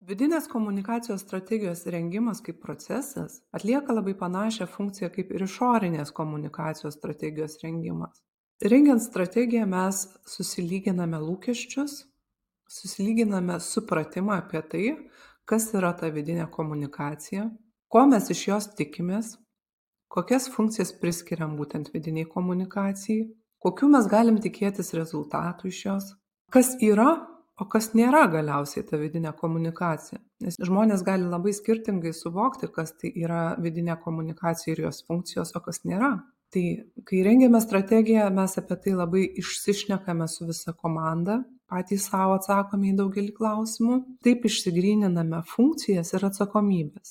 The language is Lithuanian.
Vidinės komunikacijos strategijos rengimas kaip procesas atlieka labai panašią funkciją kaip ir išorinės komunikacijos strategijos rengimas. Rengiant strategiją mes susilyginame lūkesčius, susilyginame supratimą apie tai, kas yra ta vidinė komunikacija, ko mes iš jos tikimės, kokias funkcijas priskiriam būtent vidiniai komunikacijai, kokių mes galim tikėtis rezultatų iš jos, kas yra, o kas nėra galiausiai ta vidinė komunikacija. Nes žmonės gali labai skirtingai suvokti, kas tai yra vidinė komunikacija ir jos funkcijos, o kas nėra. Tai kai rengiame strategiją, mes apie tai labai išsišnekame su visa komanda, patys savo atsakome į daugelį klausimų, taip išsigryniname funkcijas ir atsakomybės.